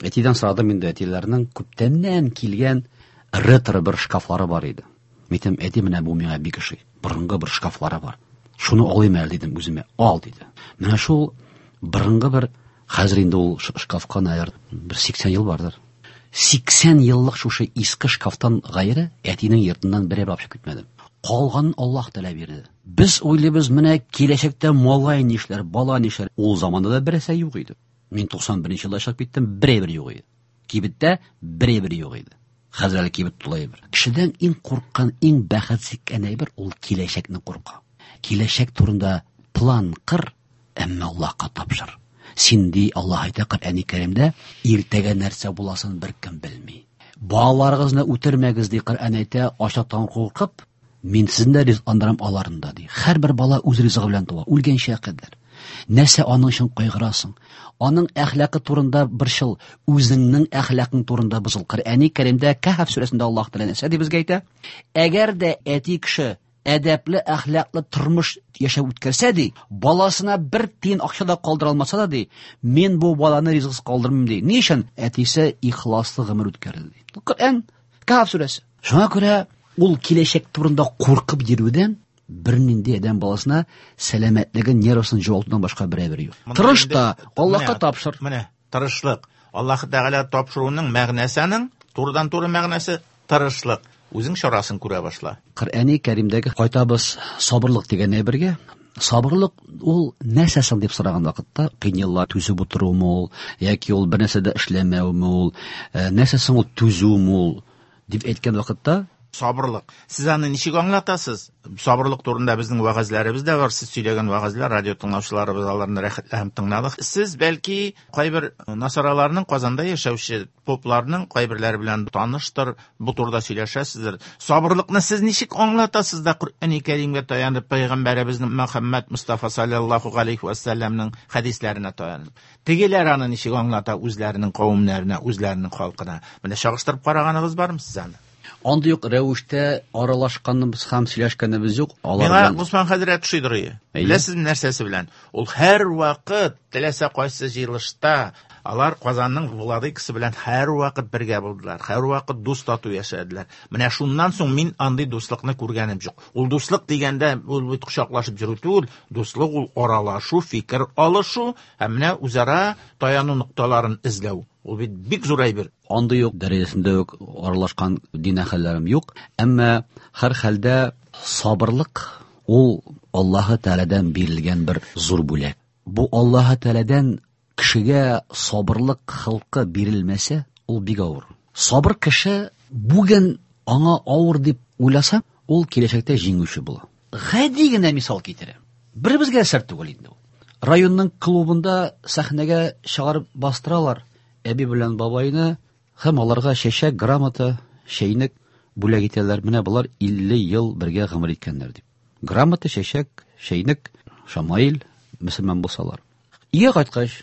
әтидән сорадым инде, әтиләрнең күптәннән килгән ретро бер шкафлары бар иде. Мин әйтәм, әти, менә бу миңа бик ошый. Борынгы бер шкафлары бар. Шуны алыйм әле дидем үземә. Ал диде. Менә шул борынгы бер, хәзер инде ул шкафка, наверное, бер 80 ел бардыр. 80 еллык шушы иске шкафтан гайре әтинең йортыннан бер әйбер алып чыгып китмәдем. Калганын Аллаһ Тәгалә бирде. Без уйлыйбыз, менә киләчәктә малай нишләр, бала нишләр. Ул заманда да берәрсе юк иде. Мин 91 елда чыгып киттем, бер әйбер юк иде. Кибеттә бер әйбер юк иде. Хәзер әле кибет тулы әйбер. Кешедән иң курыккан, иң бәхетсез әйбер ул киләчәкне курка. Киләчәк турында план кыр, әмма Аллаһка тапшыр. Син ди, Аллаһ әйтә Коръәни Кәримдә, иртәгә нәрсә буласын беркем белми. Балаларыгызны үтермәгез ди Коръән әйтә, ачлыктан куркып, мин сезне дә ризыкландырам аларны да ди. Һәрбер бала үз ризыгы белән туа, үлгәнчә кадәр. Нәрсә аның өчен кайгырасың? Аның әхлакы турында борчыл, үзеңнең әхлакың турында бозыл. Коръәни Кәримдә Кәһф сүрәсендә Аллаһ Тәгалә нәрсә дип безгә әйтә? Әгәр дә әти кеше әдәпле, әхлаклы тормыш яшәп үткәрсә ди, баласына бер тиен акча да калдыра алмаса да ди, мин бу баланы ризыксыз калдырмыйм ди. Ни өчен? Әтисе ихласлы гомер үткәрде ди. Коръән Кәһф сүрәсе. Шуңа күрә ул киләчәк турында куркып йөрүдән бернинди адәм баласына сәламәтлеген, нервысын югалтудан башка бер әйбер юк. Тырыш та, Аллаһка тапшыр. Менә тырышлык. Аллаһ Тәгалә тапшыруның мәгънәсе аның, турыдан-туры мәгънәсе тырышлык. Үзең чарасын күрә башла. Коръәни Кәримдәге кайтабыз сабырлык дигән әйбергә. Сабырлык ул нәрсә соң дип сораган вакытта, кыен еллар түзеп утыруымы ул, яки ул бер нәрсә дә эшләмәүме ул, нәрсә соң ул түзүме ул дип әйткән вакытта, сабырлык. Сез аны ничек аңлатасыз? Сабырлык турында безнең вәгазьләребез дә бар. Сез сөйләгән вәгазьләр, радио тыңлаучыларыбыз аларны рәхәтләнеп тыңлады. Сез бәлки кайбер насараларның, Казанда яшәүче попларның кайберләре белән таныштыр, бу турыда сөйләшәсездер. Сабырлыкны сез ничек аңлатасыз да Коръәни Кәримгә таянып, пәйгамбәребезнең Мөхәммәд Мустафа саллаллаһу алейхи ва сәлләмнең хәдисләренә таянып? Тегеләр аны ничек аңлата үзләренең кавемнәренә, үзләренең халкына? Менә чагыштырып караганыгыз бармы сез аны? Андый юк рәвештә аралашканыбыз һәм сөйләшкәнебез юк. Алар Миңа белән Госман хәзрәт ошыйдыр ие. Әйе. Беләсезме нәрсәсе белән? Ул һәр вакыт теләсә кайсы җыелышта алар Казанның владыкасы белән һәр вакыт бергә булдылар, һәр вакыт дус тату яшәделәр. Менә шуннан соң мин андый дуслыкны күргәнем юк. Ул дуслык дигәндә ул бит кочаклашып йөрү түгел, дуслык ул аралашу, фикер алышу һәм менә үзара таяну нокталарын эзләү. Ул бит бик зур әйбер. Андый юк дәрәҗәсендә үк аралашкан дин әһелләрем юк. Әмма һәр хәлдә сабырлык ул Аллаһы Тәгаләдән бирелгән бер зур бүләк. Бу Аллаһы Тәгаләдән кешегә сабырлык хылкы бирелмәсә, ул бик авыр. Сабыр кеше бүген аңа авыр дип уйласа, ул киләчәктә җиңүче була. Гади генә мисал китерәм. Беребезгә сер түгел инде ул. Районның клубында сәхнәгә чыгарып бастыралар әби белән бабайны һәм аларга чәчәк, грамота, чәйнек бүләк итәләр. Менә болар 50 ел бергә гомер иткәннәр дип. Грамота, чәчәк, чәйнек, шамаил, мөселман булсалар. Өйгә кайткач,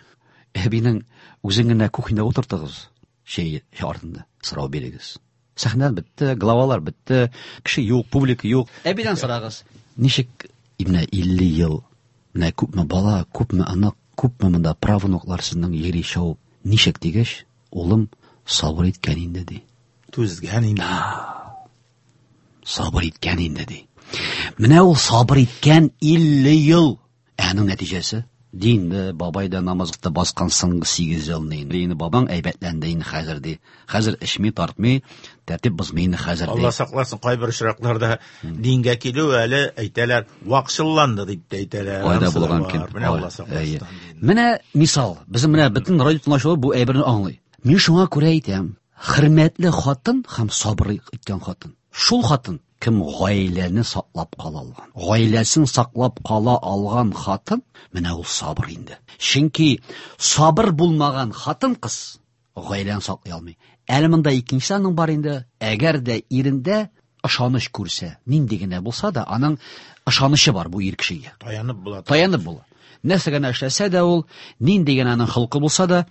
әбинең үзен генә кухняда утыртыгыз, чәй артында сорау бирегез. Сәхнә бетте, главалар бетте, кеше юк, публика юк. Әбидән сорагыз. Ничек менә 50 ел, менә күпме бала, күпме анык, күпме монда правнуклар сезнең йөри чабып. Ничек дигәч, улым сабыр иткән инде ди. Түзгән инде. Сабыр иткән инде ди. Менә ул сабыр иткән 50 ел. Ә аның нәтиҗәсе? Динде, бабай да намазлыкта баскан соңгы 8 елны инде. Инде бабаң әйбәтләнде инде хәзер ди. Хәзер эчми, тартмый, тәртип бозмый инде хәзер ди. Алла сакласын, кайбер очракларда дингә килү әле әйтәләр, вакчылланды дип тә әйтәләр. Айда Анысы да булган бар. кем? Менә Алла Ай, сакласын. әйе. Менә мисал, безнең менә бөтен радио тыңлаучылар бу әйберне аңлый. Мин шуңа күрә әйтәм, хөрмәтле хатын һәм сабыр иткән хатын. Шул хатын кем гаиләне саклап кала алган. Гаиләсен саклап кала алган хатын, менә ул сабыр инде. Чөнки сабыр булмаган хатын кыз гаиләне саклый алмый. Әле монда икенче аның бар инде, әгәр дә ирендә ышаныч күрсә, нинди генә булса да, аның ышанычы бар бу ир кешегә. Таянып була. Таянып була. Нәрсә генә эшләсә дә ул, нинди генә аның холкы булса да,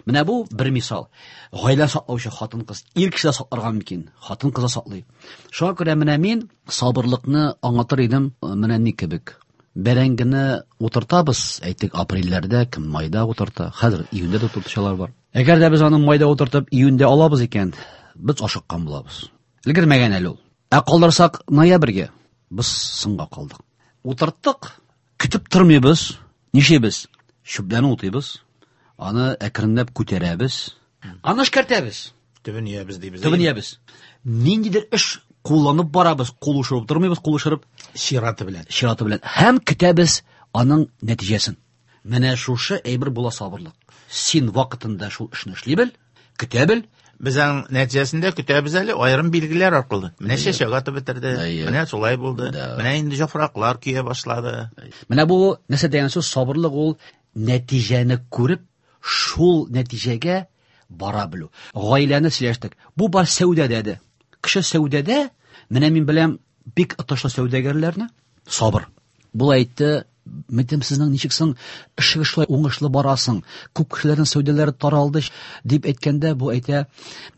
менә бу бер мисал. Гаилә саклаучы хатын-кыз, ир кеше дә сакларга мөмкин, хатын-кыз да саклый. Шуңа күрә менә мин сабырлыкны аңлатыр идем, менә ни кебек. Бәрәңгене утыртабыз, әйтик, апрельләрдә, кем майда утырта, хәзер июньдә дә утыртучылар бар. Әгәр дә без аны майда утыртып, июньдә алабыз икән, без ашыккан булабыз. Өлгермәгән әле ул. Ә калдырсак ноябрьгә, без соңга калдык. Утырттык, көтеп тормыйбыз. Нишлибез? Чүпләрне утыйбыз. Аны әкренләп күтәрәбез. Аны эшкәртәбез. Төбен иябез дибез. Төбен иябез. Ниндидер эш кулланып барабыз, кул ушырып тормыйбыз, кул ушырып чираты белән. Чираты белән. Һәм көтәбез аның нәтиҗәсен. Менә шушы әйбер була сабырлык. Син вакытында шул эшне эшли бел, көтә бел. Без аның нәтиҗәсендә көтәбез әле аерым билгеләр аркылы. Менә чәчәк атып бетерде, менә шулай булды, менә инде яфраклар көя башлады. Менә бу нәрсә дигән сүз, сабырлык ул нәтиҗәне күреп, шул нәтиҗәгә бара белү. Гаиләне сөйләштек. Бу бар сәүдәдә дә. Кеше сәүдәдә, менә мин беләм бик отышлы сәүдәгәрләрне, сабыр. Бу әйтте, Мәйтәм, сезнең ничек соң эшегез шулай уңышлы барасың? Күп кешеләрнең сәүдәләре таралды дип әйткәндә, бу әйтә,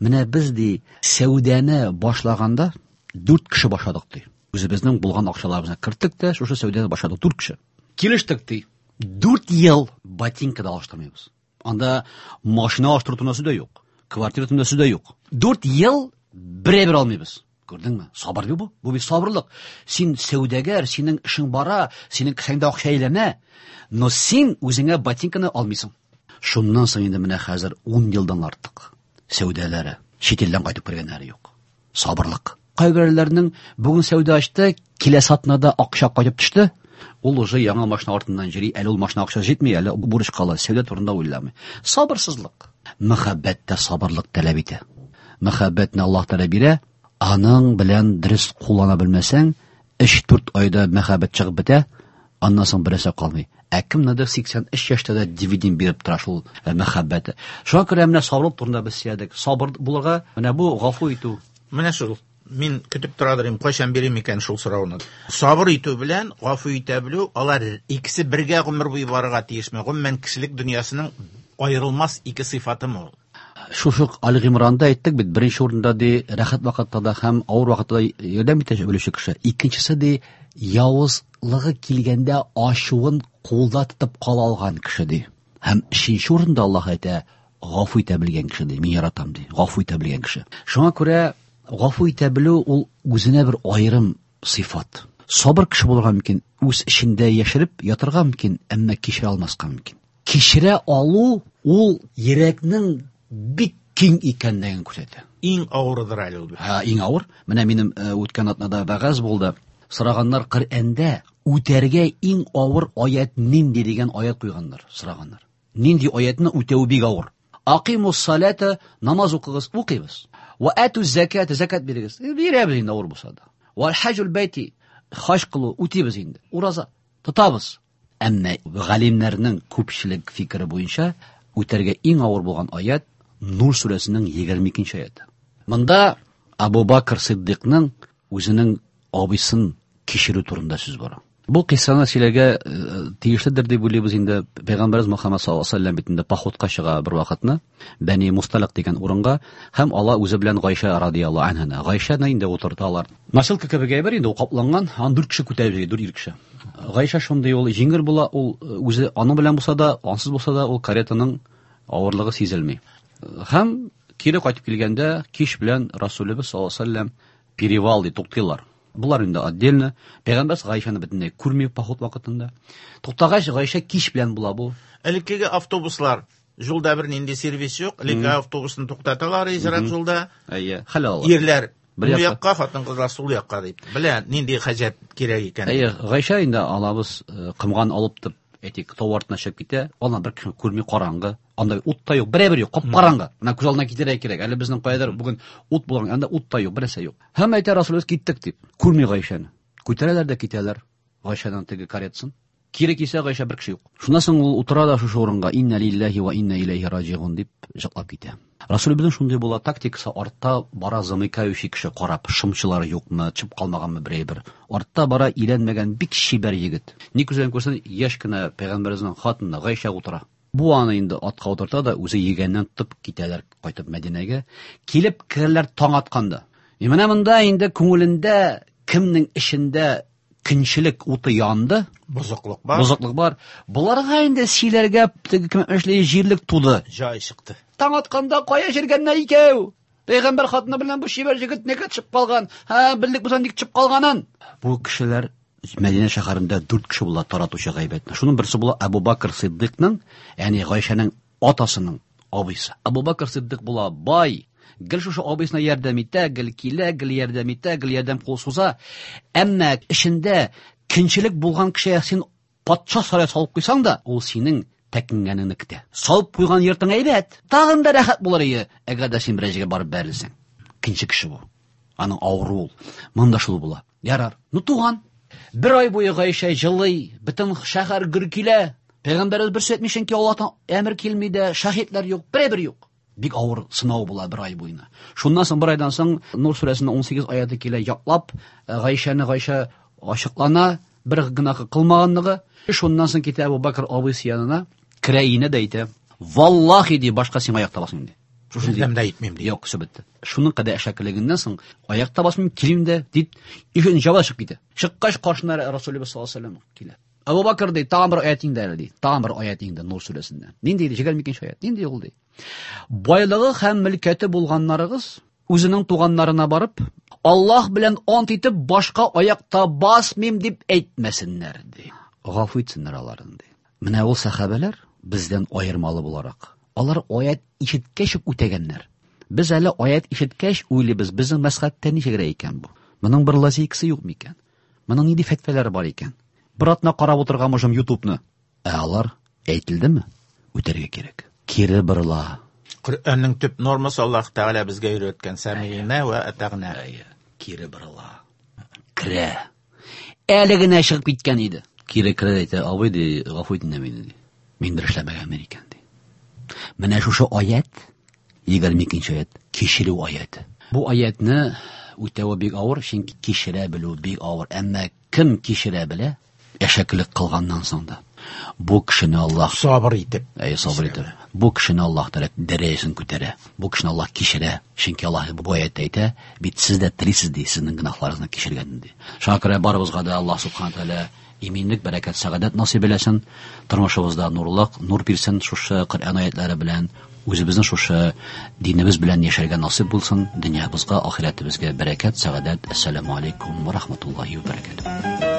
менә без ди сәүдәне башлаганда 4 кеше башладык ди. Үзебезнең булган акчаларыбызны керттек тә, шушы сәүдәне башладык 4 кеше. Килештек ди. 4 ел ботинка да алыштырмыйбыз. Анда машина алыштыру турында сүз дә юк. Квартира турында сүз дә юк. 4 ел бер-бер алмыйбыз. Күрдеңме? Сабыр бит бу. Бу бит сабырлык. Син сәүдәгәр, синең эшең бара, синең кесәңдә акча әйләнә, но син үзеңә ботинканы алмыйсың. Шуннан соң инде менә хәзер 10 елдан артык сәүдәләре, чит илдән кайтып кергәннәре юк. Сабырлык. Кайберәүләрнең бүген сәүдә ачты, киләсе атнада акча кайтып төште, ул уже яңа машина артыннан йөри, әле ул машина акча җитми, әле бурыч кала, сәүдә турында уйламый. Сабырсызлык. Мәхәббәт тә сабырлык таләп итә. Мәхәббәтне Аллаһ Тәгалә бирә, аның белән дөрес куллана белмәсәң, 3-4 айда мәхәббәт чыгып бетә, аннан соң берәрсе калмый. Ә кемнедер 83 яшьтә дә дивиденд биреп тора шул мәхәббәте. Шуңа күрә менә сабырлык турында без сөйләдек. Сабыр булырга, менә бу гафу итү. Менә шул. Мин көтеп тора идем, кайчан бирим икән шул сорауны. Сабыр итү белән гафу итә белү, алар икесе бергә гомер буе барырга тиешме? Гомумән кешелек дөньясының аерылмас ике сыйфатымы ул? Шушы Али Гыймранда әйттек бит, беренче урында ди рәхәт вакытта да һәм авыр вакытта да ярдәм итә белүче кеше. Икенчесе ди явызлыгы килгәндә ачуын кулда тотып кала алган кеше ди. Һәм өченче урында Аллаһ әйтә, гафу итә белгән кеше ди, мин яратам ди, гафу итә белгән кеше. Шуңа күрә гафу итә белү ул үзенә бер аерым сыйфат. Сабыр кеше булырга мөмкин, үз эчендә яшереп ятырга мөмкин, әмма кичерә алмаска мөмкин. Кичерә алу ул йөрәкнең бик киң икәнлеген күрсәтә. Иң авырыдыр әле ул. Һа, иң авыр. Менә минем үткән атнада вәгазь булды. Сораганнар Коръәндә үтәргә иң авыр аят нинди дигән аят куйганнар, сораганнар. Нинди аятны үтәү бик авыр. Акимус салата, намаз укыгыз, укыйбыз. Ва ату заката, закат бирегез. Бирәбез инде авыр булса да. Вал хаҗул байти, хаҗ кылу, үтибез инде. Ураза тотабыз. Әмма галимнәрнең күпчелек фикере буенча үтәргә иң авыр булган аят Нур сүрәсенең 22-нче аяты. Монда Абу Бакр Сиддикның үзенең абыйсын кичерү турында сүз бара. Бу кыйссаны сөйләргә тиешледер дип уйлыйбыз инде. Пәйгамбәрбез Мөхәммәд саллаллаһу алейһи ва сәлләм бит инде походка чыга бер вакытны Бәни Мусталик дигән урынга һәм ала үзе белән Гайшә радияллаһу анһаны. Гайшәне инде утырталар. Носилка кебек әйбер инде ул капланган, аны 4 кеше күтәреп йөри, 4 ир кеше. Гайшә шундый ул җиңел була, ул үзе аның белән булса да, ансыз булса да, ул каретаның авырлыгы сизелми. Һәм кире кайтып килгәндә кич белән Расулебез саллаллаһу алейһи ва сәлләм перевал ди туктыйлар. Булар инде отдельно. Пәйгамбәр Гайшәне бөтенләй күрми поход вакытында. Туктагач Гайшә кич белән була бу. Элеккеге автобуслар юлда бер нинди сервис юк. Элекке автобусны туктаталар изрәк юлда. Әйе, хәл алалар. Ирләр Бер бу якка. якка, хатын-кызлар сул якка дип. Белә нинди хаҗәт кирәк икән. Әйе, Гайшә инде алабыз комган алып дип, әйтик, тау артына чыгып китә. Аны бер кеше күрми, караңгы. Анда ут та юк, берәбер юк, кап-караңгы. Менә күз алдына китерергә кирәк. Әле безнең каядыр бүген ут булган, анда ут та юк, бернәрсә юк. Һәм әйтә Расулыбыз киттек дип. Күрми Гайшәне. Күтәрәләр дә китәләр Гайшәнең теге каретасын. Кире килсә Гайшә бер кеше юк. Шуннан соң ул утыра да шушы урынга инна лиллаһи ва инна илайһи раҗигун дип җырлап китә. Расулебезнең шундый була тактикасы, артта бара замыкающий кеше карап, шымчылар юкмы, чып калмаганмы берәй бер. Артта бара иләнмәгән бик чибәр егет. Ни күзен күрсен, яшь кенә пәйгамбәребезнең хатыны Гайшә утыра. Бу аны инде атка утырта да, үзе йөгәннән тотып китәләр кайтып Мәдинәгә. Килеп керәләр таң атканда. И менә монда инде күңелендә кемнең эчендә көнчелек уты янды, Бозыклык бар. Бозыклык бар. Боларга инде сөйләргә теге кем эшли җирлек туды. Җай чыкты. Таң атканда кая җиргәннәр икәү? Пәйгамбәр хатыны белән бу чибәр җегет нигә төшеп калган? Һә, белдек без ник төшеп калганын. Бу кешеләр Мәдинә шәһәрендә 4 кеше була таратучы гайбәтне. Шуның берсе була Әбу Бакр Сиддикның, ягъни Гайшәнең атасының абыйсы. Әбу Бакр Сиддик була бай, гел шушы абыйсына ярдәм итә, гел килә, гел ярдәм итә, гел ярдәм кул суза. Әмма эчендә көнчелек булган кешегә син патша сарае салып куйсаң да, ул синең тәкенгәнеңне көтә. Салып куйган йортың әйбәт, тагын да рәхәт булыр иде, әгәр дә син берәр җиргә барып бәрелсәң. Көнче кеше бу. Аның авыру ул. Монда шул була. Ярар. Ну туган. Бер ай буе Гайшә җылый, бөтен шәһәр гөр килә. Пәйгамбәребез бер сүз әйтми, чөнки Аллаһтан әмер килми дә, шаһитлар юк, берәбер юк. Бик авыр сынау була бер ай буена. Шуннан соң бер айдан соң Нур сүрәсенең 18 аяты килә, яклап, Гайшәне Гайшә ачыклана, бер гөнаһы кылмаганлыгы. Шуннан соң китә Әбу Бакр абыйсы янына, керә инә дә әйтә: "Валлахи, ди, башка сиңа аяк та басмыйм, ди. Шушындый Бердәм дә әйтмим, ди. Юк, все бетте. Шуның кадәр әшәкелегеннән соң аяк та басмыйм, килмим дә, дип, ишеген җаба чыгып китә. Чыккач каршына Расулебез саллаллаһу алейһи ва сәлләм килә. Әбу Бакр ди, тагын бер аят инде әле ди. Тагын бер аят инде Нур сүрәсеннән. Нинди ди? 22 аят. Нинди ул ди? Байлыгы һәм мөлкәте булганнарыгыз үзенең туганнарына барып, Аллаһ белән ант итеп башка аякта басмыйм дип әйтмәсеннәр ди. Гафу итсеннәр аларын ди. Менә ул сәхабәләр бездән аермалы буларак, алар аят ишеткәч үк үтәгәннәр. Без әле аят ишеткәч уйлыйбыз, безнең мәзхәбтә ничегрәк икән бу? Моның бер лазейкасы юк микән? Моның нинди фәтвәләре бар икән? Бер атна карап утырган можем ютубны. Ә алар әйтелдеме? Үтәргә кирәк. Кире борыла. Коръәннең төп нормасы Аллаһ Тәгалә безгә өйрәткән сәмигънә вә атагънә. Әйе, кире борыла. Керә. Әле генә чыгып киткән иде. Кире керә дә әйтә, абый ди, гафу ит инде мине ди. Мин бер эшләмәгәнмен икән ди. Менә шушы аят, 22 аят, кичерү аяты. Бу аятны үтәве бик авыр, чөнки кичерә белү бик авыр. Әмма кем кичерә белә, әшәкелек кылганнан соң да, бу кешене Аллаһ сабыр итеп, әйе, сабыр итеп, бу кешене Аллаһ Тәгалә дәрәҗәсен күтәрә. Бу кешене Аллаһ кичерә. Чөнки Аллаһ бу аятта әйтә, бит сез дә телисез ди, сезнең гөнаһларыгызны кичергән ди. Шуңа күрә барыбызга да Аллаһ Субхану Тәгалә иминлек, бәрәкәт, сәгадәт насыйп әйләсен. Тормышыбызда нурлык, нур бирсен шушы Коръән аятлары белән, үзебезнең шушы динебез белән яшәргә насыйп булсын. Дөньябызга, ахирәтебезгә бәрәкәт, сәгадәт. Әссәламу алейкум ва рахматуллахи ва бәрәкәтүһ.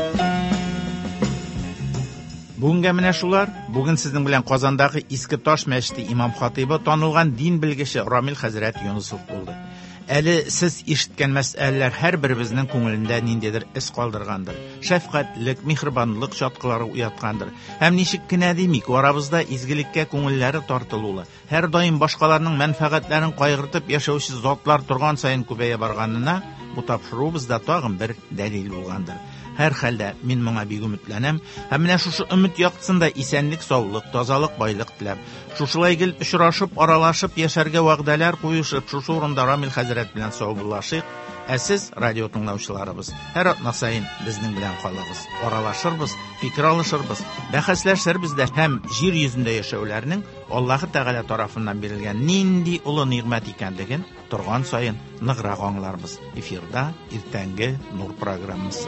Бүгенгә менә шулар. Бүген сезнең белән Казандагы Иске Таш мәчете имам хатыйбы, танылган дин белгече Рамил хәзрәт Юнысов булды. Әле сез ишеткән мәсьәләләр һәрберебезнең күңелендә ниндидер эз калдыргандыр. Шәфкатьлек, миһербанлык чаткылары уяткандыр. Һәм ничек кенә димик, арабызда изгелеккә күңелләре тартылулы, һәрдаим башкаларның мәнфәгатьләрен кайгыртып яшәүче затлар торган саен күбәя барганына бу тапшыруыбыз да тагын бер дәлил булгандыр. Һәр хәлдә мин моңа бик өметләнәм һәм менә шушы өмет яктысында исәнлек, саулык, тазалык, байлык теләп, шушылай гел очрашып, аралашып яшәргә вәгъдәләр куешып, шушы урында Рамил хәзрәт белән саубуллашыйк. Ә сез, радио тыңлаучыларыбыз, һәр атна саен безнең белән калыгыз. Аралашырбыз, фикер алышырбыз, бәхәсләшербез дә һәм җир йөзендә яшәүләрнең Аллаһы Тәгалә тарафыннан бирелгән нинди олы нигъмәт икәнлеген торган саен ныграк аңларбыз. Эфирда иртәнге Нур программасы.